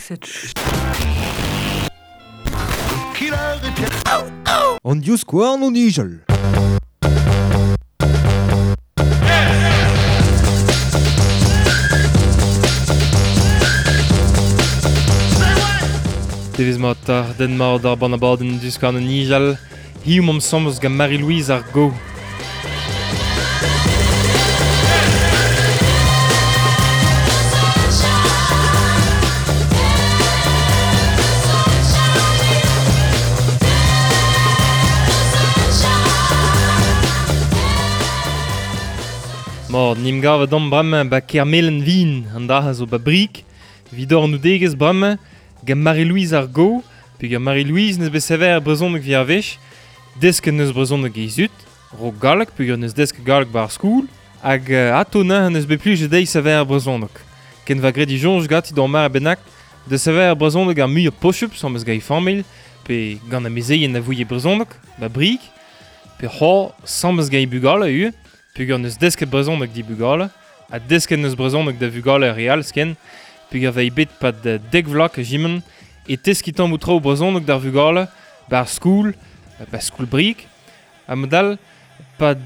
Set An divskouarn o nijal. Devezh mat 'ta, den mat ar bann-abadenn Divskouarn o nijal. Hiziv 'momp 'sambles gant Marie-Louise ar Go. Mat, 'n em gavet omp bremañ 'ba Kermelen-Vin, an dra zo 'ba Brieg, 'vit ober bremañ gant Marie-Louise ar Go, peogwir Marie-Louise 'neus bet sevel ar brezhoneg 'vit ar wech, desket 'neus brezhoneg he zud, 'raok galleg peogwir 'neus desket galleg 'ba ar skol, hag atô neuze 'neus bet plijet dezhi sevel ar brezhoneg. Ken 'va graet he soñj ganti d'ur mare bennak da sevel ar brezhoneg ar muiañ posupl 'sambles gant he familh, pe gant amezeien a vouie brezhoneg, 'ba Brieg, pe c'hoazh 'sambles gant he bugale ivez, peogwir 'neus desket brezhoneg d'he bugale, ha desket 'neus brezhoneg da vugale ar re all ken, peogwir 'vei bet 'pad dek vloaz kajiment e teskiñ tammoù traoù brezhoneg d'ar vugale, 'bar skol, 'ba skol Brieg, ha mod all 'pad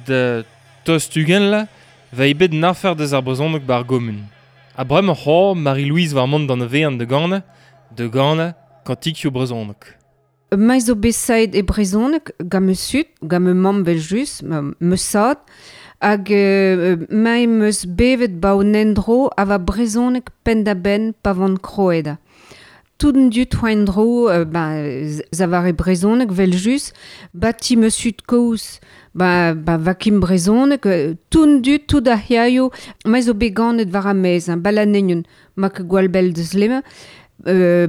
tost 20 vloaz 'vei bet an afer deus ar brezhoneg 'bar gomun. Ha bremañ c'hoazh Marie-Louise war mont d'an avean da ganañ, da ganañ kantikioù brezhoneg. Ma zo bet saet e brezhoneg gant ma zud, gant ma mamm evel-just, ma zad, hag ma em eus bevet 'ba un endro a va brezhoneg penn-da-benn pa van kroet. Tout an dud oa en-dro ben, zavare brezhoneg evel-just, 'ba ti ma zud-kozh ba, ba vakim brezhoneg, tout an dud, tout ar c'hêrioù, ma zo bet ganet war ar maez, hein, Balanegnon, ma ket gwall bell deus lemañ,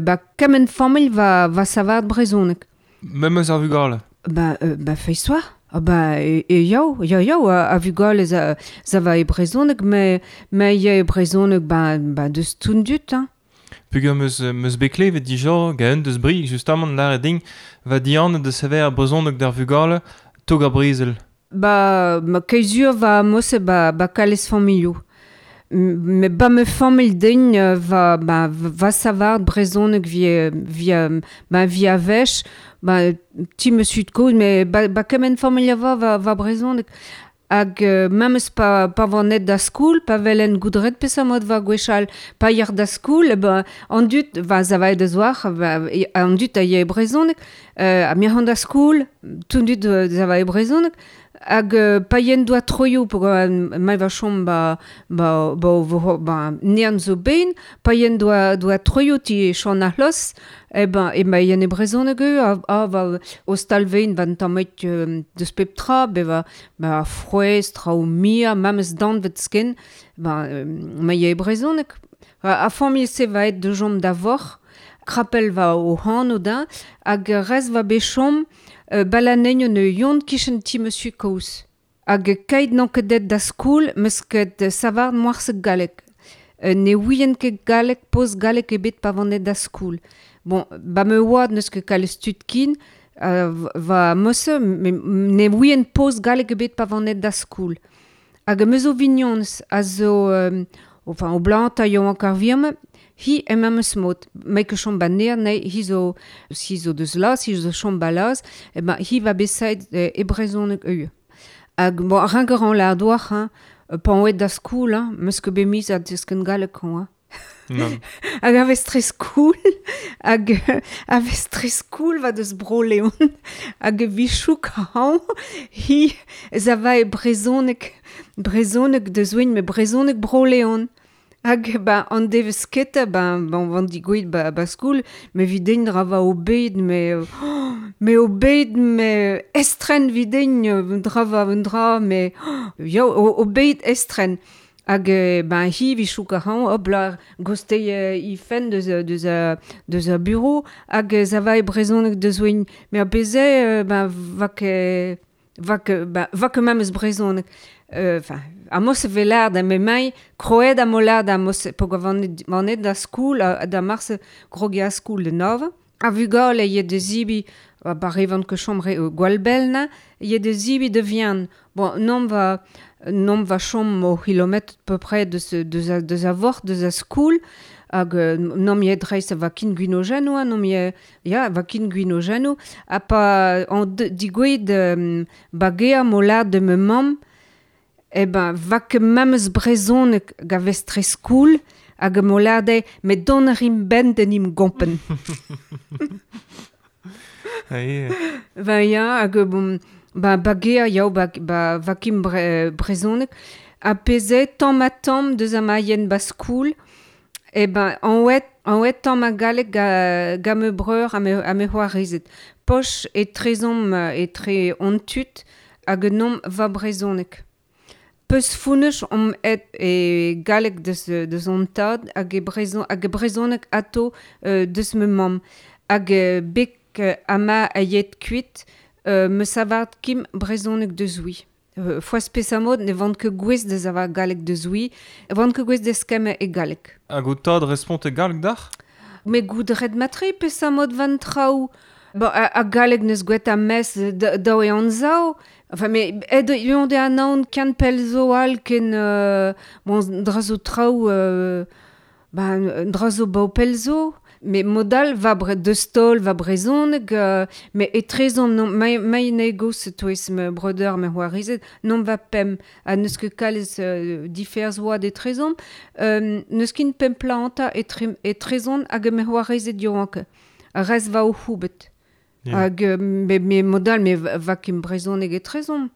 ba kement familh va, va savat brezhoneg. Memes ar vugale? Ba, ba feiz soa. Ah ba e, e yaou, ya yaou, a, a vugale za, za va e brezhoneg, me, me ya e brezhoneg ba, ba deus tout an dud, hein. Peogwir 'meus 'meus bet klevet dija gant un deus Brieg justamant lâret din va dihanet da sevel ar brezhoneg d'ar vugale tog ar brezel. Ba, ma keizur va mose ba, ba kalez familhoù. Me ba ma familh din va, ba, va savar brezhoneg vi, via, ba via wech, ba ti ma zud-kozh, me ba, ba kement familh a va va, va brezhoneg. Hag memes pa, pa van aet da skol, pa welen goudret peseurt mod va gwechall, pa yec'h da skol, ba, an dud, va zavaet da zoar, va, an dud a yae brezhoneg, ha mir da skol, tout an dud zavae brezhoneg, hag pa yen doa troioù ma va chom ba, ba, ba, ba, ba nean zo ben, pa yen doa, doa troioù ti chon ar c'hlos, e ben, e ma yen e brezhoneg eu, a, a va o stalvein van tammet deus pep tra, be va ba frouezh, traoù mia, memes danvet sken, ba, ma ye e brezhoneg. A, a familh se va et de jom da voc'h, krapel va o hanv da, hag rez va bet chom balanegn un yon kichen ti monsieur kozh. Hag keit n'on ket det da skol, meus ket savard moarse galleg. Ne ouien ket galleg, poz galleg ebet pa van da skol. Bon, ba me oad n'eus ket kalez tud kin, va mose, me, ne ouien poz galleg ebet pa van da skol. Hag me zo vignons a zo, enfin, o blant a yo an virme, hi em memes mod. Me ket chom ba ner, ne, hi zo, hi zo deus laz, hi zo chom ba laz, e ben, hi va besait e brezhoneg eu. Hag, bon, rinker an la doar, hein, pan oet da skol, hein, meus ket bet miz a desken galleg, hein. Non. Hag a vez tre skoul, hag a vez tre skoul va deus bro Leon, hag e vichouk hañ, hi za va e brezhoneg, brezhoneg deus oin, me brezhoneg bro Leon. Hag ba an devez ket, ba, ba van digouet ba, ba skoul, me videin dra va obed, me, oh, me obed, me estren videin dra va un dra, me, oh, ya, obed estren. Hag ben hi vichouk a hañ, hop la, goste i fen deus, deus, deus a bureau, hag za va e brezhoneg deus oin. Me a beze, ben, va ket, va ket, ben, va ket memes brezhoneg. Enfin, a mos velard a me mai, kroet a molard a mos, pog a vanet da skoul, a, da mars grogi a skoul de nov. A vugale ye de zibi, a barevant ket chom re gwall-bell na, ye de zibi de vian. Bon, non va, non va chom o kilometr peu près de ce, de a, de a vort, de a skoul. Hag nom ye dreist va kin gwinogeno, nom ye, ya, va kin gwinogeno, ha pa an digouet bagea mo lad de me mamm, e ben, va ket memes brezhoneg ga vestre skoul, hag mo lade, me don rim ben den im gompen. Ben ya, hag bon, ba bagea yao ba, ba va kim brezhoneg, a peze tamm ha tamm deus a maien ba skoul, e ben, an oet tamm a galleg ga me breur a me c'hoarezed. Poch e trezomp etre on tud hag nom va brezhoneg. Peus founech om et e galleg deus on tad hag e brezhoneg ato deus me mamm. Hag bek ama a yet kuit me savart kim brezhoneg deus oui. Foaz pesamod ne vant ket gwez deus ava galleg deus oui, vant ket gwez deus kem e galleg. Hag o tad respont e galleg d'ac'h? Me goudret matre pesamod van traoù. Bon, a galleg neus gwet a mes daou e an zao. Enfin, me ed yon de an aon kan pel zo al ken bon, dra zo traoù ben, dra zo bao pel zo. Me modal va deus taol va brezhoneg, me etrezon non mai negos toez me breudeur me c'hoarized, non va pem ha neus ket kalz diferz oad etrezon, neus kin pem planta etrezon hag me c'hoarized yoank. Rez va o c'houbet. Yeah. Hag me modal me va kem brezhoneg etrezon.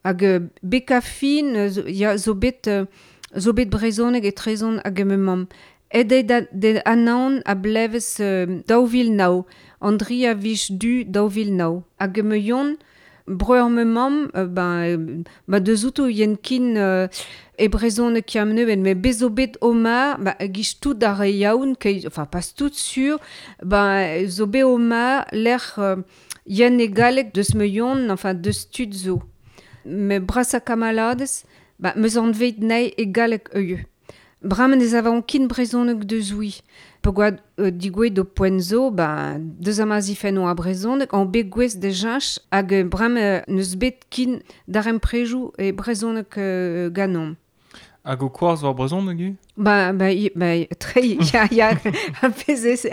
Hag beka fin ya zo bet brezhoneg etrezon hag me mamm. Ed de anaon a blevez daou vil nao, Andri a vich du daou vil nao. Hag me yon, breur me mamm, ben, ba deus outo yen kin e brezhoneg kiam neuen, me bezo bet oma, ba gich tout ar re yaoun, enfin pas tout sur, ben zo bet oma l'er yen e galleg deus me yon, enfin deus tud zo. Me brasa kamalades, ba meus anvet nei e galleg eueu. Bramen ez avon kin brezhoneg deus oui. Pegoad digouet do poent zo, ba, deus ama zifenno a brezhoneg, an bet gwez de jinch hag bramen neus bet kin d'ar emprejou e brezhoneg ganom. Hag o koaz war brezhoneg u? Ba, tre, ya, a pezh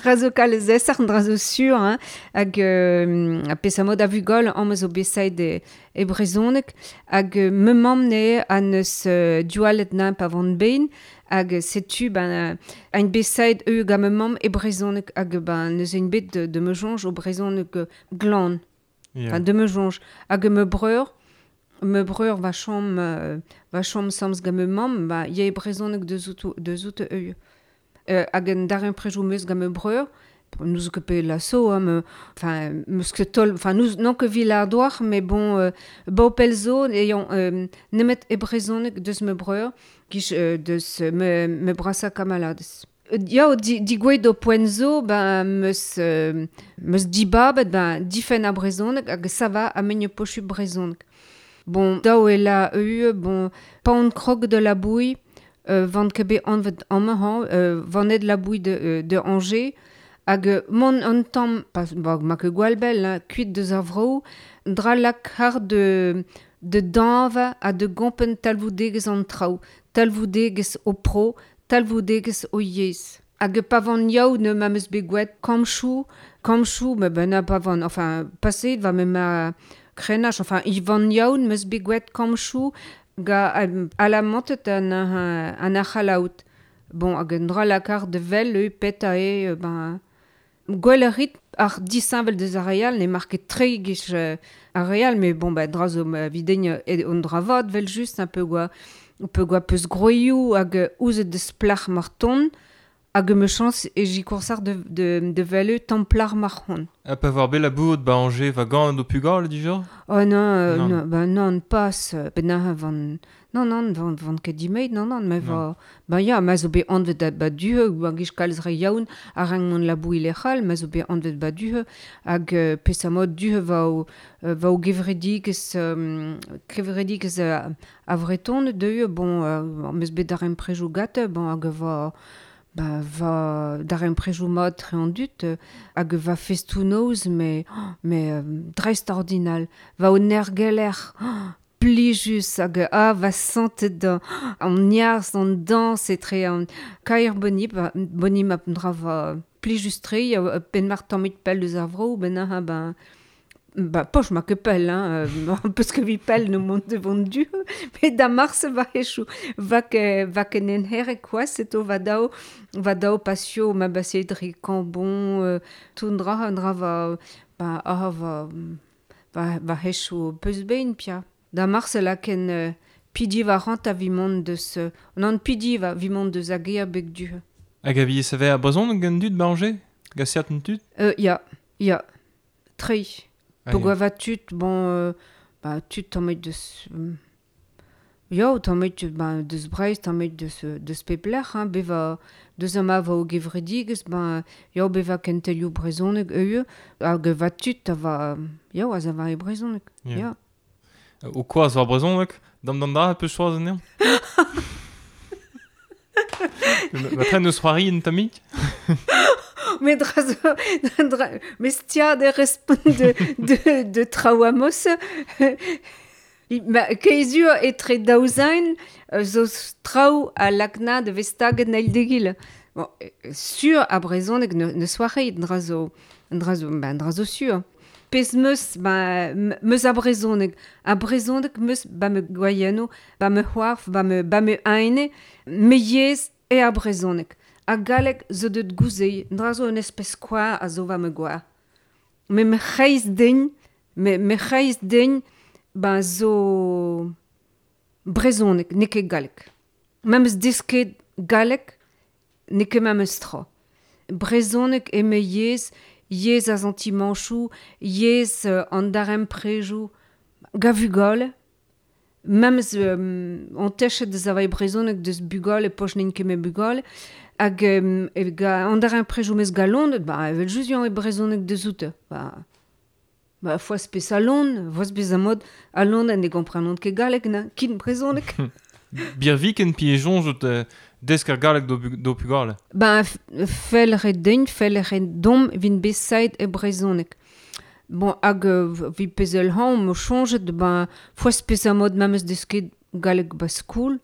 dra zo kalz esar, dra zo sur, hein, hag a pezh a mod a vugol am eus o besaid e brezhoneg, hag me mamm ne an eus dualet na pa vant bein, hag setu ben ein besaid eu ga me mamm e brezhoneg, hag ben neus ein bet de me jonj o brezhoneg glan, yeah. Enfin, de me jonj, hag me breur, va chom samz ga me mamm, ba ya e brezhoneg deus out eu. Hag en dar prejou meus ga me breur, nous ket pe la so, hein, me, enfin, meus ket tol, enfin, nous, non ket vil ar doar, mais bon, bao pel zo, eyon, nemet e brezhoneg deus me breur, gich deus me brasa kamalades. Ya, digouet do poent zo, ben, meus dibabet, ben, difen a brezhoneg, hag ça va a menio pochu brezhoneg. Bon, daou e la eu, bon, pa on krog de la bouille, vant ket bet anvet amañ, vanet la bouille de Angers, hag mon an tamm, pas, ba, ma ket gwall bell, hein, kuit deus ar vro, dra lak har de danva ha de gompen talvoudegez an traoù, talvoudegez o pro, talvoudegez o yezh. Hag pa van yaou ne ma meus bet gwet kamchou, me ben a pa van, enfin, paseet va me ma krenach, enfin, i van yaoun meus bet gwet kamchou ga alamantet an ar c'halaout. Bon, hag un dra lakar de vel eu pet a e, ben, gwell a rit ar disinvel deus ar real, ne market tre gich ar real, mais bon, ben, dra zo videgn e on dra vat vel just, un peu gwa peus groioù hag ouzet deus plach marton, hag me chans e j'y koursar de velu templar marc'hon. A pa war bet la bout ba Angers va gant o pugal dija? Oh non, non, ben non, pas, ben van, non, van ket dimeid, non, me va, ben ya, ma zo bet anvet ba duhe, ba gich kalz re yaoun, a rang mon la bouille lec'hal, ma zo bet anvet ba duhe, hag pesamod duhe va o gevredigez, a vreton deuhe, bon, meus bet ar emprejou gate, bon, hag va, ba va d'ar emprejou mat tre an dut, hag va festou noz, mais dreist ordinal, va o nergeler, plijus hag a va santet an niarz, an dans etre an kaer boni, ba, boni ma dra va plijus tre, pen mar tammit pell deus ar vro, ben ha ben ba poch ma ket pell, hein, peus ket vi pell no mont devant du, met da mars va echou, va ke, va ken en herre quoi, seto va dao pasio ma basse dre kambon, tout dra, dra va, ba, ah, va, va, va echou peus bein pia. Da mars la ken pidi va rant a vi mont deus, non pidi va vi mont deus a gea beg du. Hag a vi save a brezhoneg gant dud ba Angers? Gant certain tud? Ya, ya, tre. Ah, Pogwa ya. va tud, bon, ba, tud tammit deus... Ya, tammit, ba, deus Breizh, tammit deus pep lec'h, hein, beva, deus ama va o gevredigezh, ba, ya, beva kentelioù brezhoneg eue, hag va tud a va, ya, a za va e brezhoneg, Ya. ya. O koaz war brezhoneg, dam dam dra peus choaz anezhañ? Ma tren eus c'hoari en tammig? Mais dra zo, dra, mais stia de respont de traouamos. Ma, keizur etre daouzain, zo traou a lakna de vestaget nail degil. Bon, sur a brezhoneg ne soareit dra zo, dra zo, ben, dra zo sur. Pez meus, ba, meus a brezhoneg. A brezhoneg meus ba me gwaienno, ba me c'hoarf, ba me aine, me yezh e a brezhoneg. A galleg zo deut gouzei, dra zo un espèce kwa a zo va me gwa. Me me c'hreiz den, me, me c'hreiz den, ba zo brezhoneg, n'eo ket galleg. Ma meus desket galleg, n'eo ket ma meus tra. Brezhoneg e me yezh, yezh a zantimanchou, yezh an darem prejou, gavugol. Memes an techet deus avai brezhoneg deus bugol e poch n'int ket me bugol. Hag e ga, an darem prejou meus galon, ba, evel just e brezhoneg deus oute. Ba, ba, foaz pes a lon, foaz pes a mod, a lon ne gomprenont ket galleg, na, kin brezhoneg. Birviken pi e soñj desk ar galleg do pugale. Ben, fel re den, fel re dom vin besait e brezhoneg. Bon, hag vi pezel han, mo soñjet, ben, foaz pes a mod memes desket galleg ba skoul,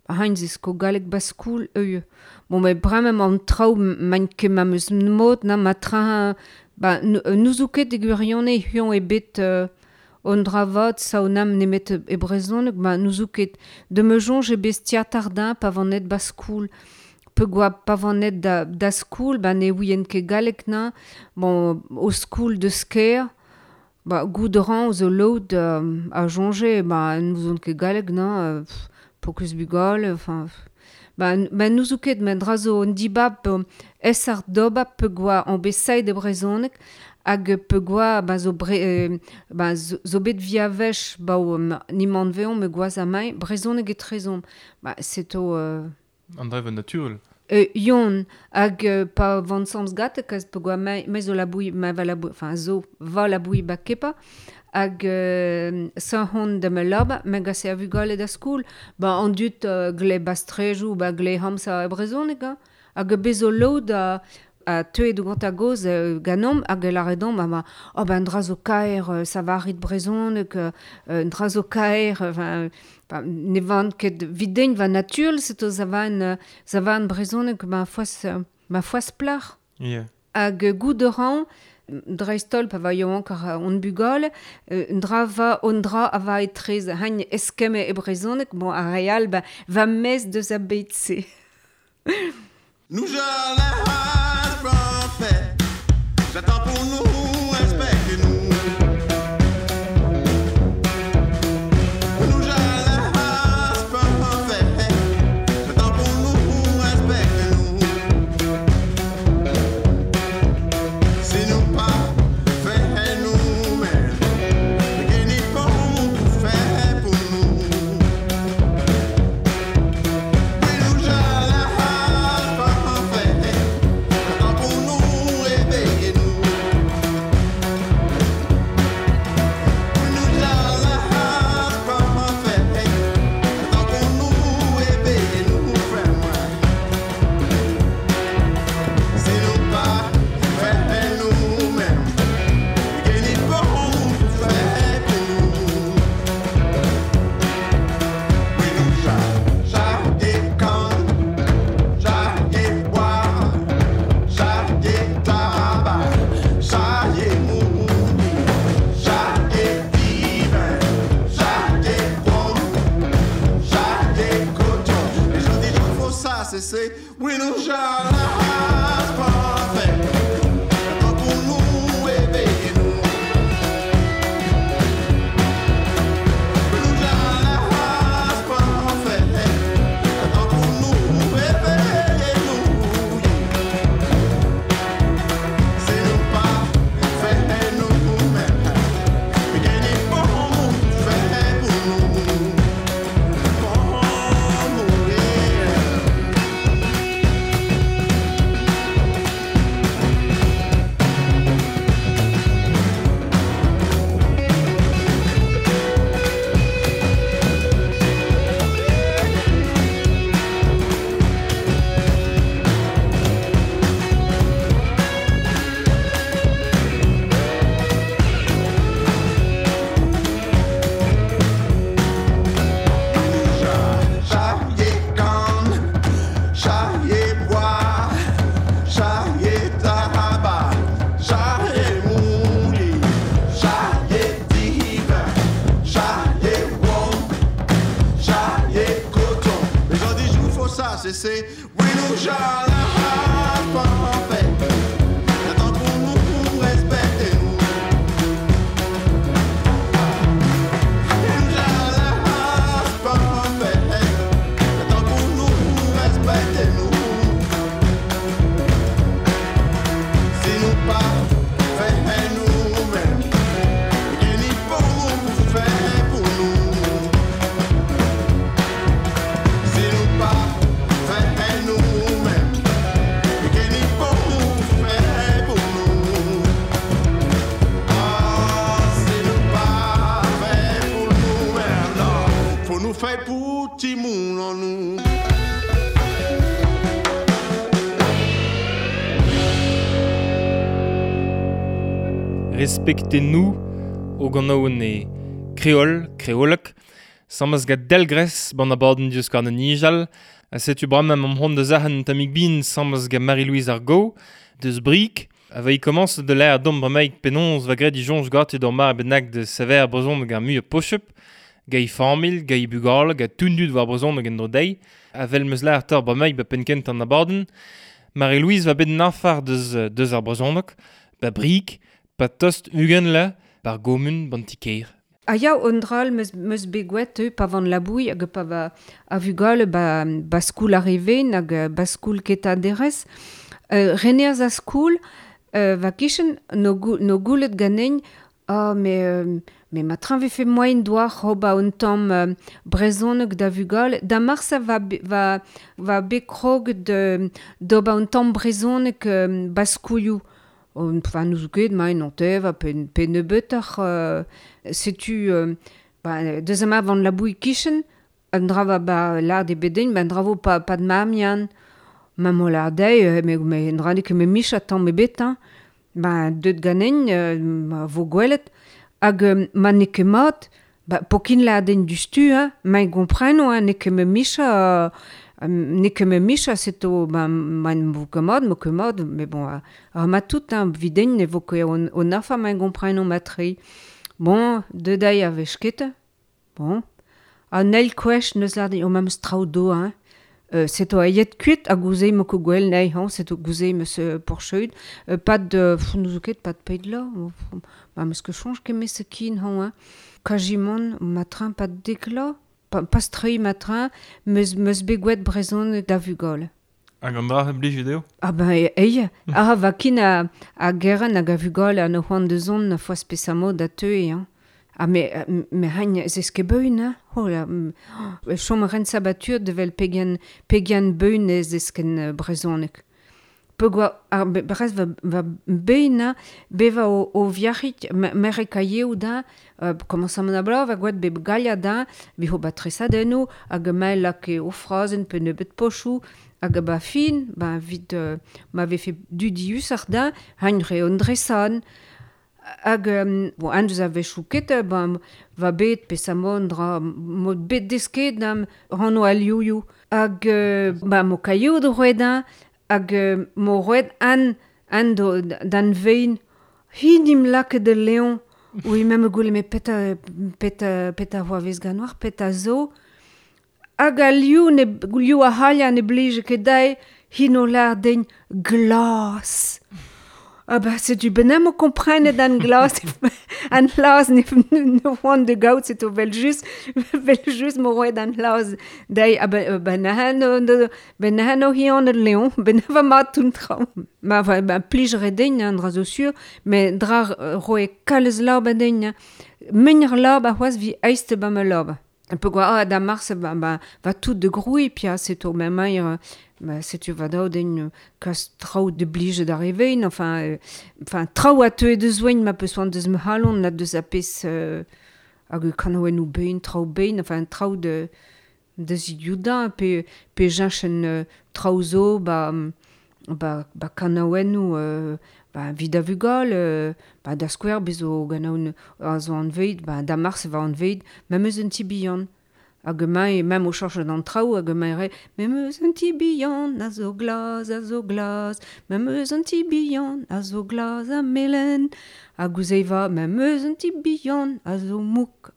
ba hain zesko galleg ba skoul, eue. Bon, met bremañ an traoù maint ket memes mod, na ma tra, ba, n'ouzo ket e gwirionez hiziv ebet on dra vat saonam nemet e brezhoneg, ba n'ouzo ket. De me soñj e bez tiatardin pa vanet ba skoul. Pe goa pa vanet da skoul, ba ne ouien ket galleg na. Bon, o skoul de sker, ba gout ran zo lod a soñje, ba n'ouzon ket galleg na, pokus bugale, enfin... Ba, ba n'ouzo ket, met dra zo un dibab es ar doba pe goa an besait e brezhoneg, hag pe goa ba zo bre, ba zo bet via vech ba o nimant veon me goaz a mai brezhoneg e trezon. Ba seto An drev naturel. Yon hag pa van samz gate kaz pe goa mai zo la bouille ma va la bouille, enfin zo va la bouille ba kepa hag sa hon da me lab me gase a vugale da skoul ba an dut gle bastrejou ba gle hamsa e brezhoneg hein. Hag bezo lod a teuet gant a goz ganom hag laredon ma ma oh ben dra zo kaer savarit brezhoneg dra zo kaer enfin ne van ket videnn va naturel seto zavan brezhoneg ma foaz plac'h. Yeah. Hag gout ran dreistol pa va yaouank ar on bugale dra va on dra a va etrez hain eskemme e brezhoneg bon ar real ba va mez deus a beit-se. Nous j'attends pour nous, respectez-nous. Nous j'allons parfait. J'attends pour nous, respectez-nous. Si nous pas fait nous-mêmes, mais qu'il faut tout faire pour nous. Mais nous j'allons parfait. J'attends pour nous, réveillez-nous. Oui, nous jalas parfait. Tant pour nous éveiller nous. Nous jalas parfait. Tant pour nous éveiller nous. C'est nous pas fait nous-mêmes. Mais qu'elle est bon fait pour nous. Pour mourir. Charrier canne, charrier bois, charrier tabac, charrier mouli, charrier divin, charrier rhum, charrier coton. Les gens disent, faut ça, c'est, oui, nous jalas parfait. Attends pour nous respecter nous. Fait pour Timoun en nous. Respectez-nous o gant e kreol, kreolek, samaz gant delgrez ban abadenn diouzh an nijal, a setu bremañ am hon da zahan tamig bin samaz gant Marie-Louise Argo, deus Brik, a va i commence de l'air dom bremaik penons va gret di jonj gati d'or mar bennak de sever brezon gant mu pochup, gai famil, gai bugal, ga tundud war brezon hag en dro deiz, a vel meus l'air tor bremaik ba penkent an abadenn. Marie-Louise va bet nafar deus ar brezonok, ba Brik, pa tost ugen la, bar gomun ban tikeir. A ya on dral meus begouet pa van la bouille hag pa va a vugale ba skoul arrivé hag ba skoul keta derez. Reneaz a skoul va kichen no goulet ganein ah mais ma train ve fait moyen doar hoba un tamm brezhoneg da vugale da marsa va bekrog de d'oba un tamm brezhoneg ba skoulioù. Enfin, nous ket ma non tev pe nebeutoc'h setu ba deuxième avant la bouille kichen an dra va ba lard e bedein ba an dra vo pa de mamian ma mo lard dei me dra ket me micha tamm ebet hein ba deut ganein ma vo gwelet hag ma n'eo ket mat ba pokin lard du stu hein ma gompreno hein n'eo ket me micha n'eo ket me micha seto ba ma vo ket mat mo ket mat mais bon ar ma tout hein videin ne vo ket on afa ma gompreno matri bon de dai a vech ket bon an eil kwech neus lard o ma meus traoù do hein seto a yet kuit a gouzei mo ket gwell nei hein seto gouzei meus porcheud pas de nous zo ket pas de peid la ma meus ket chonj ket me se kin hein kajimon matrin pas de dekla pas strei matrin meus begouet brezhon da vugale. Hag an dra blij video? Ah ben ei, ah va kin a geren hag a vugale an o c'hoant de zon foa spesamo da teue hein. Ah mais hain ez ket beun hein. Oh la chom ren sabatur de vel pegan beun ez esken brezhoneg. Pegoa ar brez va beina beva o viarit mere kaieu da commence an abla va gwet be galia da vi ho batresadenno hag mael lak o frazen pe nebeut pochou hag ba fin ba vit ma vefe dudius ar da hain re on dresan hag bon an deus a vechou ket ba va bet pe samon dra mod bet desket dam ranno al youyou hag ba mo kaieu do roedan hag mo roet an do dan vein hinim lak de Léon oui même goule me peta voa vez ganoar peta zo hag a liou ne liou a halia ne blije ket dai Hino lar den glas. Ah ba, setu ben o komprenet an glas, an glas ne oan de gaout, setu vel just mo roet an glas dei, ah ben ben hi an el leon, ben va mat un traoù. Ma va ben plijere den, an dra zo sur, me dra roe kalez lab a den, menr lab a c'hoaz vi eist ba me lab. Un peu quoi, ah, da mars, ba, va tout de groui, pia, setu ma mair, ba, setu va dao den kas traoù de blije d'arriver, enfin, enfin traoù a teue de zoen, ma peus oan deus me halon, na deus a pez hag kanoen ou bein, traoù bein, enfin, traoù de ziudañ, pe jañchen traoù zo, ba kanaouen ou, ba vid a vugal, ba da skouer bezo ganaoun a zo an veid, ba da mars va an veid, ma meus un ti bihan. Hag mai, même o chanch d'an traoù, hag mai re, me meus un ti bihan, a zo glas, ma meus un ti bihan, a zo glas a melen. Hag ouzei va, ma meus un ti bihan, a zo mouk,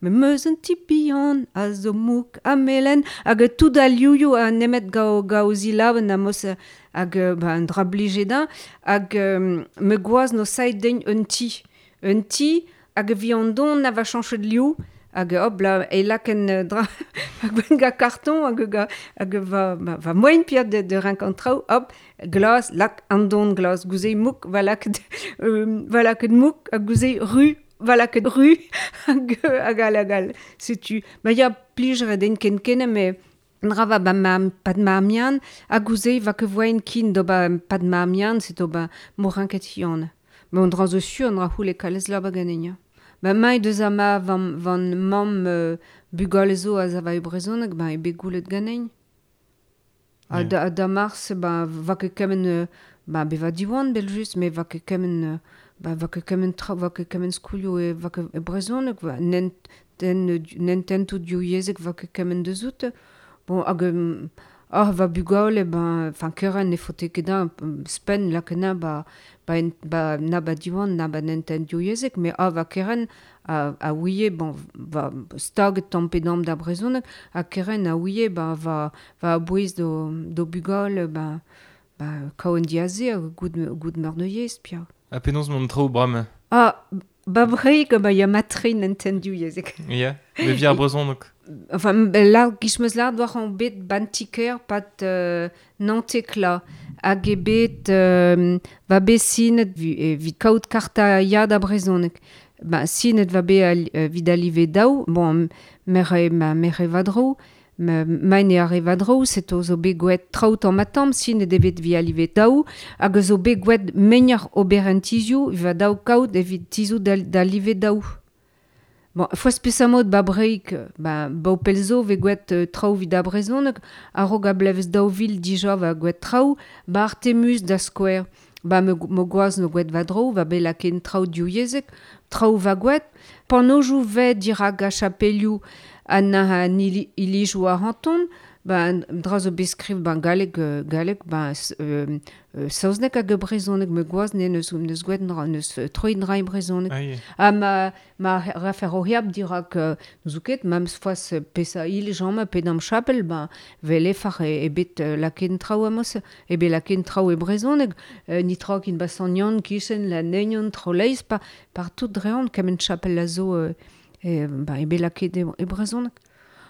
ma meus un ti bihan, a zo mouk, a melen. Hag tout a liouioù a nemet gao zilaben a mos hag ba, un dra blije da, hag me gwaz no saet den un ti, hag vi an don a va chanchet liou, hag hop la e laken dra hag ben ga karton hag va moen pia de renkontraoù, hop glas lak an don glas gouzei mouk va laket mouk hag gouzei ru va laket ru hag al setu ma ya plijere den ken kene me dra va ba ma pad ma mian hag gouzei va ke voen kin do ba pad ma mian seto ba mo rinket hion ma on dra zo sur an dra houle kalez la ba ganen. Ba mai deus ama van mamm bugale zo a zava e brezhoneg, ba e bet goulet ganen. A da mars, ba va ket kement, ba be va diwan bel just, me va ket kement, ba va ket kement tra, va ket kement skoulioù e va ket e brezhoneg, va nen tentou diou yezek va ket kement deus out. Bon, hag ah, va bugale, ben, enfin, keren ne fote ket da, spen lakena ba na ba diwan, na ba nenten diou yezek, me ah, va keren a ouie, bon, va stag tampedam da brezhoneg, a keren a ouie, ba, va abouez do bugale, ba kaouen diaze, goud meur de yez, pia. A penaos mont traoù brame? Ah, ba breik, ba ya matre nenten diou yezek. Ya, me vi ar brezhoneg. Enfin, la, gish meus lart war an bet ban tiker pat nantekla hag e bet va bet sinet evit kaout karta ya da brezhoneg. Ba, sinet va bet vid alive daou, bon, mere vadro, maen e ar vadro, seto zo bet gouet traout an matam, sinet evet vi alive daou, hag zo bet gouet meñar ober an tizioù, va daou kaout evit tizioù da live daou. Bon, foaz pesamot ba breik, ba pelzo ve gouet traoù vid a brezhoneg, a-raok a blevez daou vil dija va gouet traoù, ba Artemus da skouer, ba me gwaz no gouet va dro, va bet laken traoù diou yezek, traoù va gouet, panojou ve dirak a chapelioù an an ilijou a hanton, ba dra zo beskriv ba galleg ba saozneg hag brezhoneg me gwaz ne neus gouet neus troet dra e brezhoneg. Ha ma refer o heab dirak n'eus ket, ma meus foaz pesa il jam pe d'am chapel, ba vele far e bet laken traoù amos, e bet laken traoù e brezhoneg, ni tra kin ba sanyan kichen la negnon troleiz pa par tout drean kement chapel a zo ba e bet laket e brezhoneg.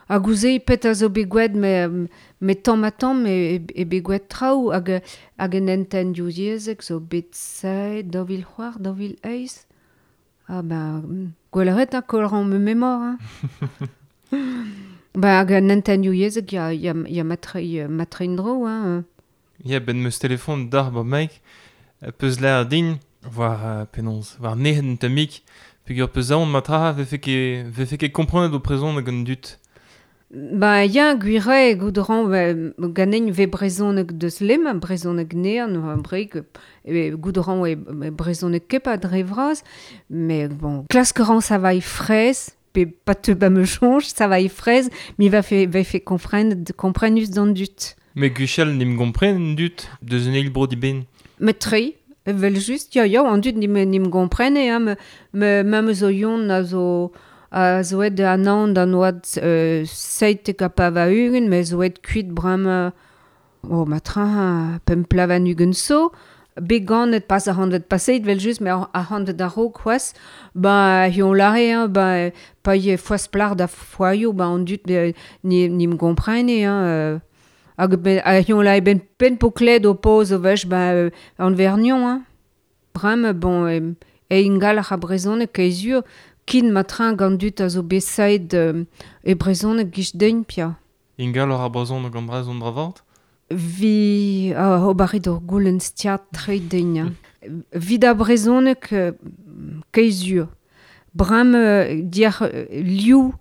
Hag ouzei pet a zo bet gouet me tamm a tamm e bet gouet traoù hag en enten diouz yezek zo bet saet daou vil c'hoar, daou vil eiz. Ah ben, gwell a kolran me memor. Hein. Ba hag en enten diouz yezek ya matrein dro. Hein. Ya ben meus telefon d'ar ba maik peus l'air din war penaos, war nehen tamik peogwir peus aon matra vefe ket komprenet o brezhoneg gant dut. Ba ya gwire goudran ganen ve brezhoneg deus lem, brezhoneg nean, breik goudran e brezhoneg ket pa dre vras, mais bon, klask ran ça va e fraise, pe pa te ba me chonj, ça va e fraise, mi va fe komprenus d'an dut. Me gwechall nim gompren dut, deus un eil bro di ben. Me tre, vel just, ya, an dut nim gomprene, hein, me me zo yon a zo a zo et an an d'an oad seitek a pa va ugen, me zo et kuit brama O, ma tra pemp plavan ugent so, bet ganet pas a hanvet paseit, vel just, me a hanvet a raok c'hoaz, ba hion lare, hein, ba pa ye foaz plar da foaio, ba an dut ni, ni m'gomprene, hein, hag ben, a hion lare ben pen po kled o poz o vech, ba an vernion, hein. Brem, bon, e ingal ar brezhoneg kaezur, kin ma train gant dut a zo besaet e brezhoneg gich dein pia. Ingal ar brezhoneg gant brezhon dravart? Vi ober ur goulenn stiad tre dein. Vid a brezhoneg kaezur. Brem diar liou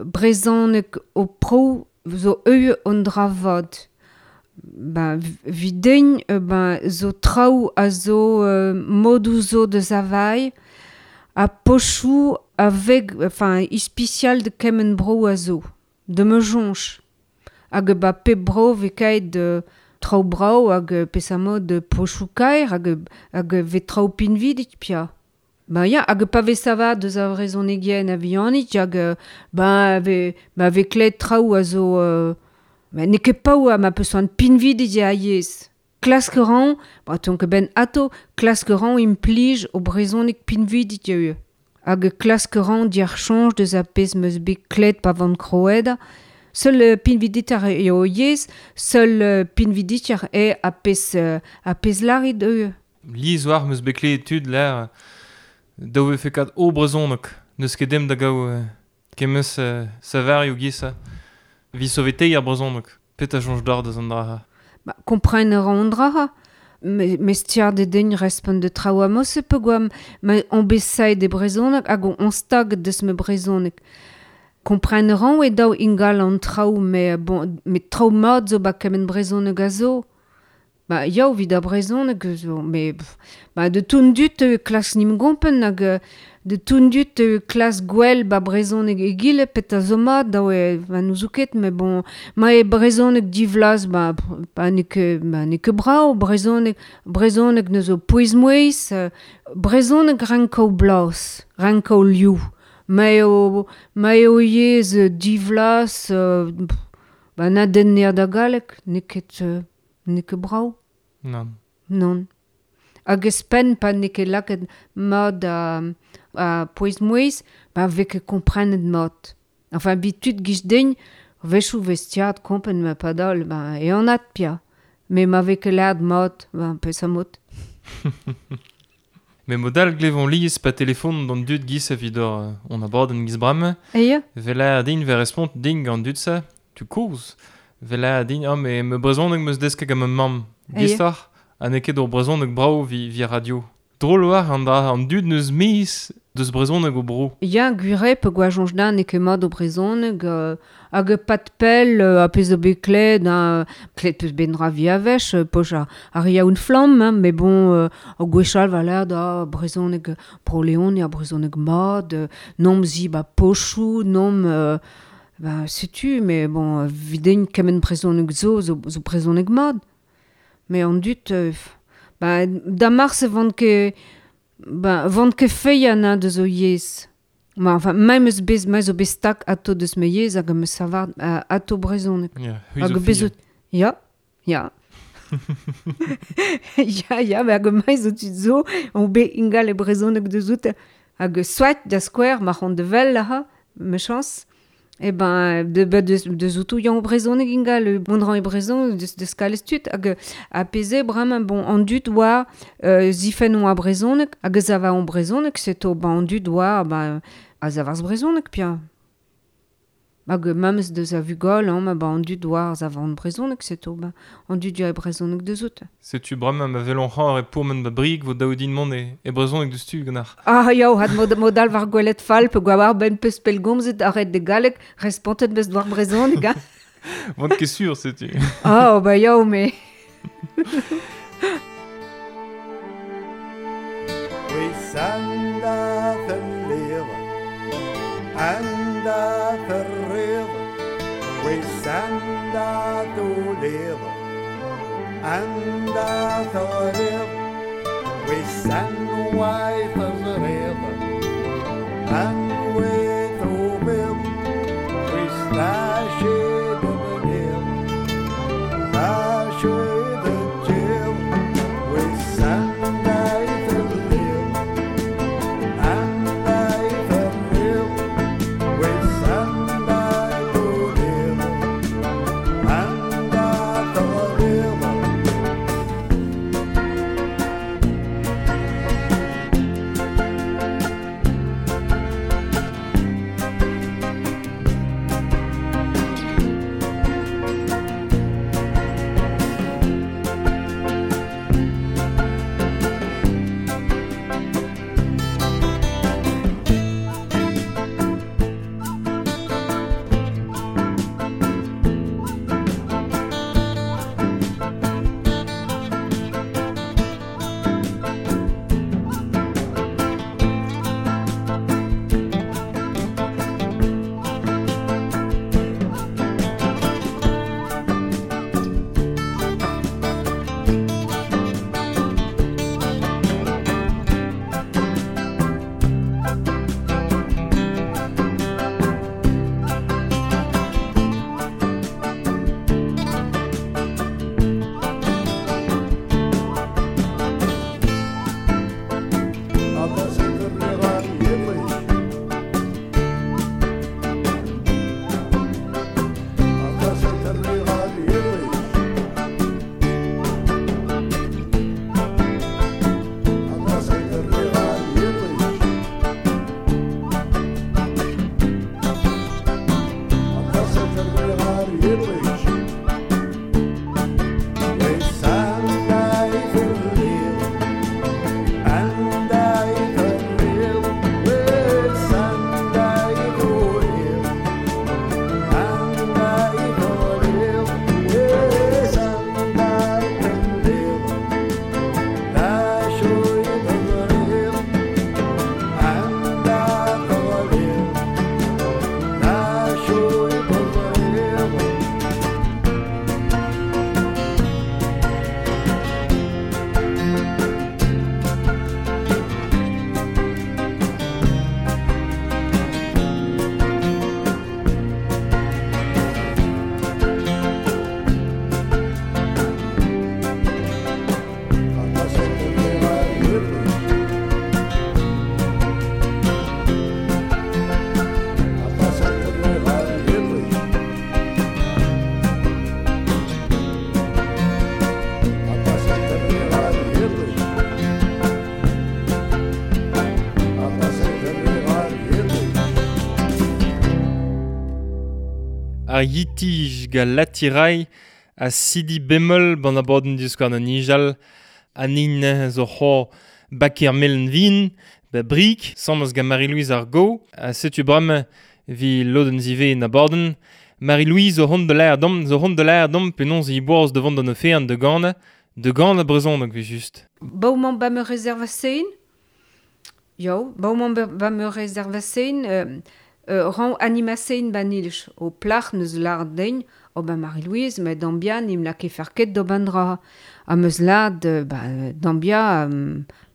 brezhoneg o pro zo eu an dravad. Ben, videin ben, zo traoù a zo modou zo de zavai a pochou avec, enfin, ispicial de kemen bro a zo, de me jonch. Hag ba pe bro ve kaet de traoù brao hag pesa mod de pochou kaer hag ve traoù pinvidik pia. Ben ya, hag pa ve sava deus a vrezhonegien a vihanit hag ben ve, ba ve klet traoù a zo... Ben, n'eo ket paou a ma peus an pinvidik a yezh. Klask ran, ba ton ket ben ato, klask ran implij o brezhoneg pinvidik eo. Hag klask ran diar chanj deus a pezh meus bet klet pa van kroed. Seul pinviditar eo yezh, seul pinviditar eo a pezh larit eo. Liz war meus bet klet tud l'air daou vefe kat o brezhoneg. Neus ket dem da gaou kemeus savarioù giz. Vi sovetei ar brezhoneg. Pet a chanj d'ar deus an dra. Ba, kompren ran an dra. Me stiar de den respont de traoù a mos e pe gwa ma on besaet de brezhoneg hag on stag deus me brezhoneg. Kompren ran e daou ingal an traoù, me, bon, me traoù mat zo ba kemen brezhoneg a zo. Ba, yaou vid a brezhoneg zo, me, ba, de toun dut klas nim gompen hag de toun dut klas gwell ba brezhoneg egile pet a zo mat daou e ba n'ouzout ket, me bon, ma e brezhoneg divlaz ba, ba n'eo ket, ba n'eo ket brao, brezhoneg ne zo pouez-mouez, brezhoneg rankaou blas, rankaou liou. Ma eo yezh divlaz, ba na den nea da galleg, n'eo ket brao. Non. Non. Hag espen pa n'eo ket lakaet mat a pouez-mouez, ba vez ket komprenet mat. Enfin, bitud giz den, vechou vestiad kompen ma padal, ba e an at pia. Me ma vez ket lad mat, ba pes a mot. Me modal glevon liz pa telefon d'an dud giz a vidor on abord an giz bram. Eia? Vela din ve respont ding an dud sa, tu koz. Vela din, oh, me me brezhoneg meus desk hag ma mamm. Gistar, ha n'eo ket ur brezhoneg brao vi radio. Drôle war an dra an dud neus mis deus brezhoneg o bro. Ya, gwire pe gwa jonj da n'eo ket mat o brezhoneg, hag pat pell a pezh o bet klet, klet peus ben dra vi a vech, poch a ria un flamm, hein, mais bon, o gwechal va l'air da brezhoneg bro Leon ya brezhoneg mat, nom zi ba pochou, nom... ba, setu, mais bon, videin kemen brezhoneg zo brezhoneg mat. Mais an dut, ba, da mars vant ket, ba, vant ket feian deus o yezh. Ma, enfin, ma meus bez, ma zo bez tak ato deus me yezh hag me savar ato brezhoneg. Ya, hag bez ya, ya. Ya, ya, hag ma zo tud zo, on be ingal e brezhoneg deus out, hag soit da skouer, ma c'hont de vel laha, me chance. E ben, de zoutou yan brezhoneg ingal, bon ran e brezhon, de skalez tud, hag a peze bremañ, bon, an dud oa zifen oa brezhoneg, hag a zava an brezhoneg, seto, ben, an dud oa, ben, a zavarz brezhoneg, pia. Hag mamez deus a vugol, hein, ma ba an dud oa a zava an brezhoneg, seto, ben, an dud ya e brezhoneg deus out. Setu bremañ ma vel an c'har e pourmen ba brig vo daoudin mont e brezhoneg deus tu ganar. Ah, yaou, had modal war gwelet fall, pe gwa war ben peus pellgomzet arret de galleg, respontet beus war brezhoneg, hein. Vant ket sur, setu. Ah, oh, ba yaou, me. And the we send wife as a river, and we throw bill, we slash it in the hill. Ar yitij ga latirai a sidi bemol ban abadenn diskouarn an nijal an in zo c'ho baker melen vin ba brik samaz ga Marie-Louise ar go a setu bram vi lodenn zive en abadenn Marie-Louise zo hont de l'air dom zo hont de l'air dom penaos i boaz devant d'an ofean de gana de gana brezhoneg vi just. Bauman ba me rezervasein? Jo, bauman ba me rezervasein ran animasein ba nilch o plac'h neus lard dein o ba Marie-Louise me dambia nim la ket ket do bandra a meus lard ba dambia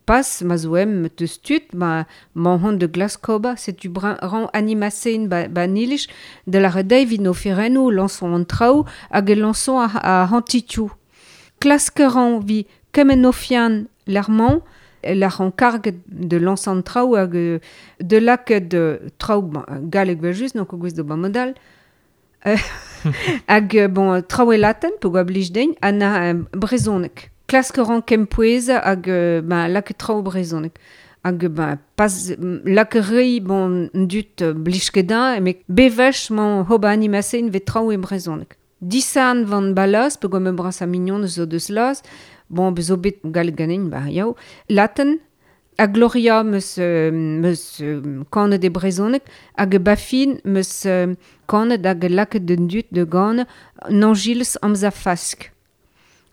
pas ma zoem teus tud ma hon de glaskoba setu ran animasein ba nilch de la redei vid no ferennou lançon an traoù hag e lançon a hantitiou. Klaskeran vi kemen ofian l'armand la ran karg de lançon traoù hag de lak de traoù galleg vel just donc gwez do ba modal hag bon traoù e latin po gwa blij dein an brezhoneg. Klaskeran kempouez hag ba lak traoù brezhoneg. Hag ba pas lak rei bon dut blij ket da me bevech man hoba animasein ve traoù e brezhoneg. Disan van balas, pe gwa me bras a mignon zo deus las, bon, bezo bet galleg ganin, ba yaou, latin, a Gloria meus kanet e brezhoneg, hag bafin meus kanet hag laket den dut de gant nangils amza fask.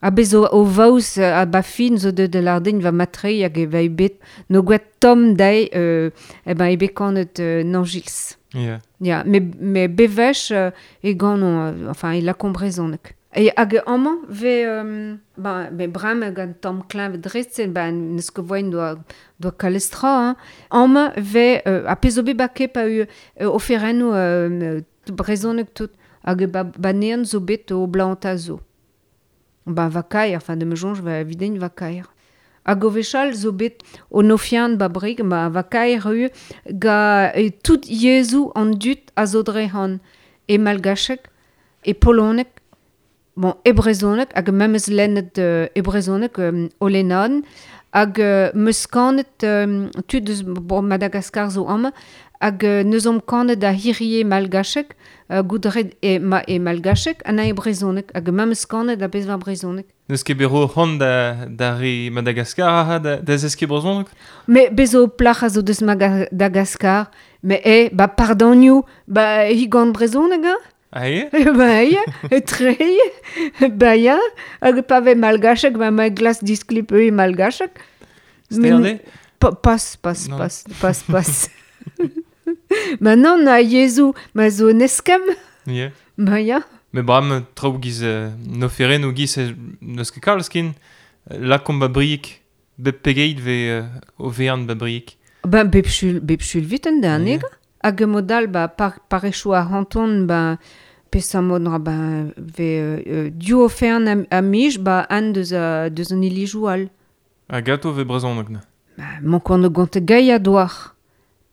A bezo o vaus a bafin zo de lardin va matrei hag e va bet no gwet tom dei e ben e bet kanet nangils. Yeah. Ja, me bevech e gant enfin e la brezhoneg. E hag amañ ve ba me bram gant tamm kleñv dresten ba neus ket voain doa kalestra hein. Amañ ve a pezh zo bet ba kep a eu oferennoù brezhoneg tout hag ba nean zo bet o blanta zo. Ba va kaer, enfin de me jonge va videnn va kaer. Hag o vechal zo bet o nofian ba brig, ba va kaer eu ga tout yezhoù an dut a zo dre han e malgacheg, e poloneg, bon, e brezhoneg, hag memes lennet e brezhoneg o lennan, hag meus kanet tud eus bon, Madagaskar zo amañ, hag neus omp kanet a hirie malgacheg, goudret e, ma, e malgacheg, an a e brezhoneg, hag memes kanet a bez va brezhoneg. Neus ket bet ro c'hoant da re Madagaskar ha da zeskiñ brezhoneg? Me bezo plac'h a zo deus Madagaskar, me e, ba pardonioù, ba hi gant brezhoneg, hein? Ah eo? Ba eo, e tre, ba ya, hag pa ve malgacheg, ba ma glas disklip e malgacheg. Sterde? Pas, pas, pas, pas, pas. Ma non, a yezhoù, ma zo neskem. Yeah. Ba ya. Me bram traoù giz noferennoù giz n'eus ket kalz ken lakomp ba briek, bep pegeit ve o vean ba briek. Ben bep chul viten da anega. Yeah. Hag modal ba parechoù a hanton ba peseurt mod ra ba ve div ofern a mij ba an deus an ilijoù all. Ha gato ve brezhoneg na? Ba mon kont gant gaia doar.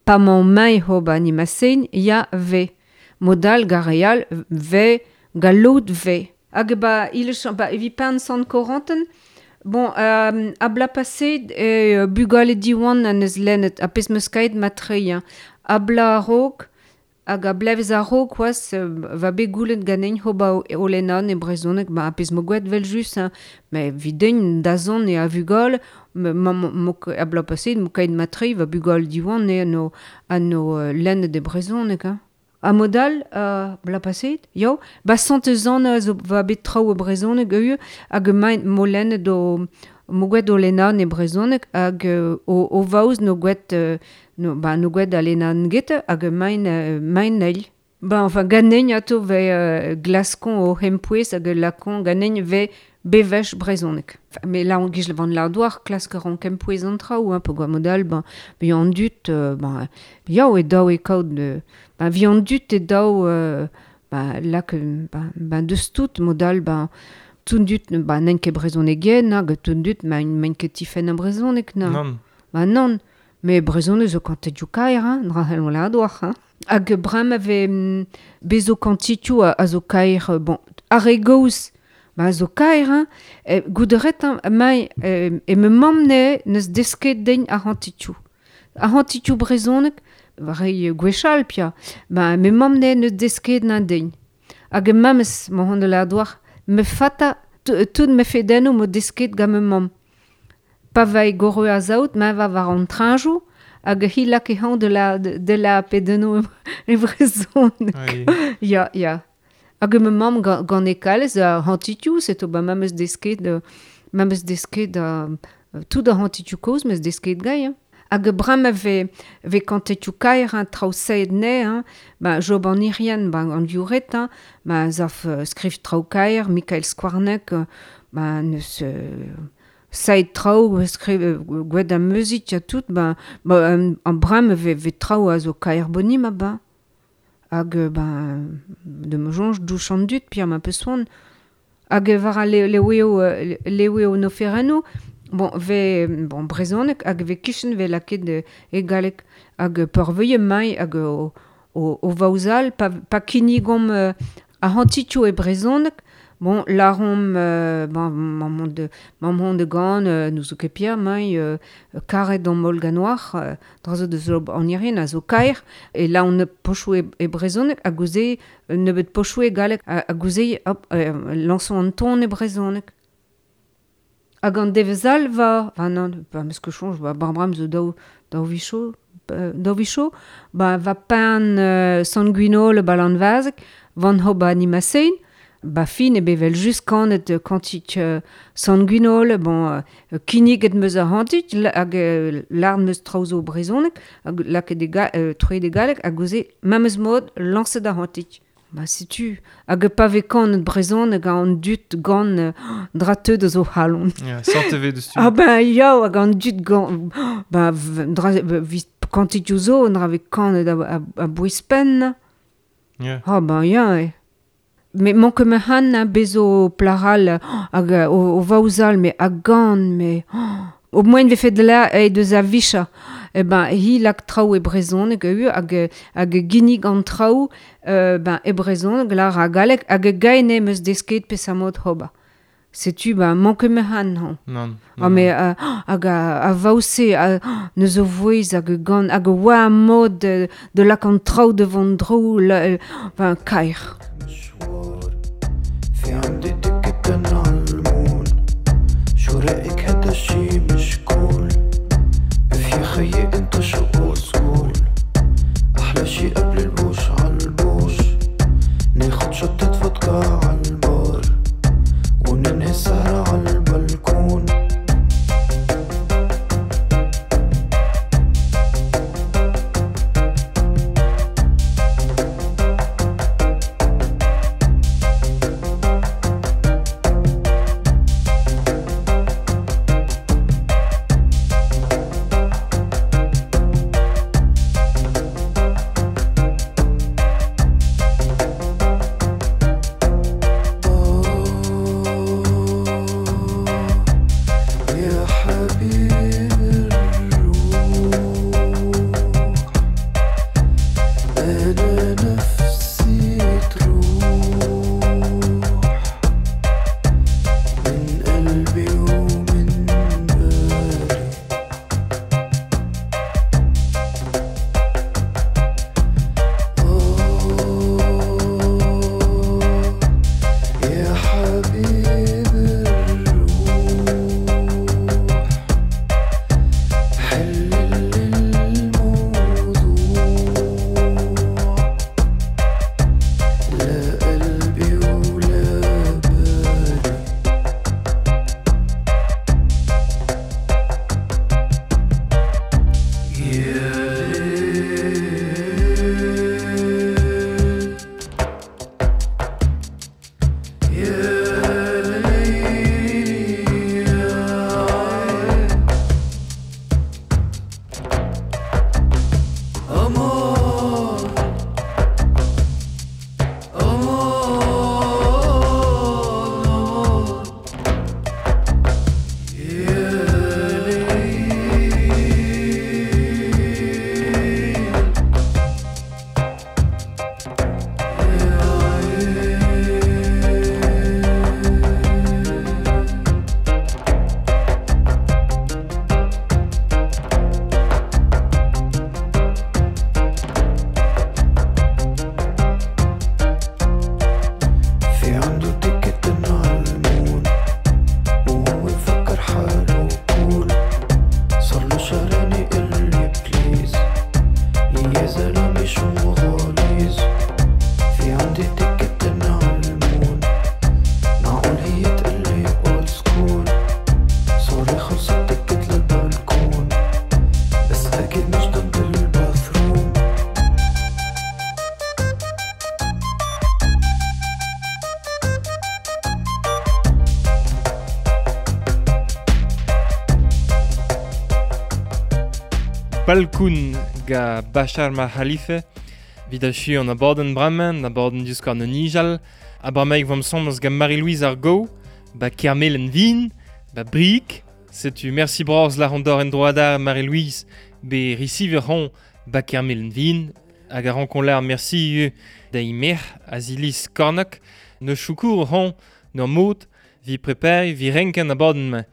Pa man mai ho ba animasein ya ve. Modal gareal ve gallout ve. Hag ba il ba evi pan sant Corentin bon a bla passé e bugale diwan an eus lennet a pezh meus kaet matrei hein. A bla a-raok hag a blevez a-raok oaz va bet goulenn ganin ho ba o lennan e brezhoneg ba a pezh mo gwet vel just hein. Me videnn da zon e a vugale a bla passé mo kaet matrei va bugale diwan e ano lennet e brezhoneg hein. A modal bla passet, yo, ba santezan zo va bet traoù e brezhoneg eu hag main mo lennet o mo gwet o lennan e brezhoneg hag o vaoz no gwet no ba no gwet a lennan get hag main main eil. Ba enfin ganen ato ve glaskon o hempouez hag lakon ganen ve bevech brezhoneg. Mais là on gij van l'ardoir klask ran kempouez an traoù hein, po gwa modal ben bi an dut ben yaou e daou e kaout ben vi an dut e daou ben lak ben deus tout modal ben tout dut ben n'en ket brezhonegen hag tout dut men ket tifen an brezhoneg na. Non. Ben non, mais brezhoneg zo kantet jou kaer hein, dra hellon l'ardoir hein. Hag bram ave bezo kantitioù a zo kaer bon ar re goz ba zo kaer hein, gouderet mai e me mamm ne neus desket den ar hantitioù. Ar hantitioù brezhoneg, war e gwechall pia, ba me mamm ne neus desket na den. Hag e mamez, ma hon de la doar, me fata, tout me fedenno mo desket gant me mamm. Pa vai goro a zaout, ma va war an trañjoù, hag hi lak e hañ de la pedenno e brezhoneg. Oui. Ya, ya. Hag ma mamm gant e kalez a hantitioù, seto ba mamez desket, mamez desket tout a hantitioù kozh meus desket gai. Hein. Hag bram a ve kantetioù kaer, hein, traoù saet ne, hein, ba Job an Irien, ba an viouret, hein, ba zaf skriv traoù kaer, Mikael Skouarnek, ba neus saet traoù, skriv gwed a muzik, ya tout, ba an bram ve traoù a zo kaer boni ma ba. Hag ba de me jonge douch an dud, pir ma peus soan. Hag war a leweo no ferano, bon, ve, bon, brezhoneg hag ve kichen ve laket e galleg hag peurveuie mai hag o vaouzal pa kinnigomp a hantitioù e brezhoneg, bon, larom bon, mamm de gant nous zo ket pir mai karet an mol ganoar dra zo deus an irien a zo kaer e la on pochoù e brezhoneg hag gouze nebeut pochoù e galleg hag gouze hop lañson an ton e brezhoneg. Hag an devezal va, va non, ba meus ket soñj, ba barbram zo daou vicho, ba va pan sanguinol ba lanvazek, van ho ba animasein, ba fin e bevel just kanet kantik sanguinol, bon, kinniget meus a hantit, hag lard meus traoù zo brezhoneg, hag lakaet troet e galleg, hag gouze memes mod lañset a hantit. Ba setu, hag pa ve kanet brezhoneg an dud gant dra teud zo halon. Ya, sorte ve deus tu. Ah ben ya, hag an dud gant, ba dra vist kantitioù zo, dra ve kanet a bouez-penn. Yeah. Ah ben ya, e. Me manke me han bezo plaral hag o vaouzal, me a gant, me... Au moins ve fet la e deus a vicha. E ben hi lak traoù e brezhoneg eu hag ginnig an traoù ben e brezhoneg lar a galleg hag gaene meus desket pesamot hoba. Setu ben manke me han han. Non. Ah me hag a vaouse neus o vouez hag gant hag oa mod de lak an traoù de vont dro ben kaer. في عندي تكتن عالمول شو رأيك هذا الشي مش كول اف يا خيي انت شو اولد سكول احلى شي قبل البوش عالبوش ناخد شطة فودكا عالبار وننهي السهرة عالبلكون Palkoun ga Bachar ma Khalife, vid achu an abadenn bremañ, an abadenn Divskouarn o Nijal, ha bremaik 'vomp 'sambles gant Marie-Louise Ar Gow, ba Kermelen Vin, ba Brieg, setu mersi bras lâr an dor en droadar Marie-Louise be risiver hon ba Kermelen Vin, hag a rankon lâr mersi ivez da Imer Azilis Kornok, ne choukour hon n'ur mod vi prepare vi renken abadenn-mañ.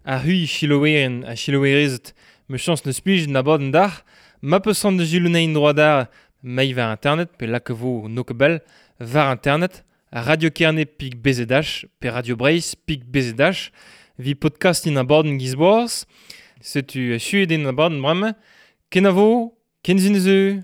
Ar c'hui chiloeren ha chiloerezed me chans neus plij an abadenn d'ac'h, ma peus c'hoant da jilounein droadar mei war internet pe lak vo no ket bell war internet Radio Kerne pik BZH pe Radio Breizh pik BZH vi podcastin abadenn giz boaz. Setu achuet eo an abadenn bremañ. Kenavo, ken sin eus.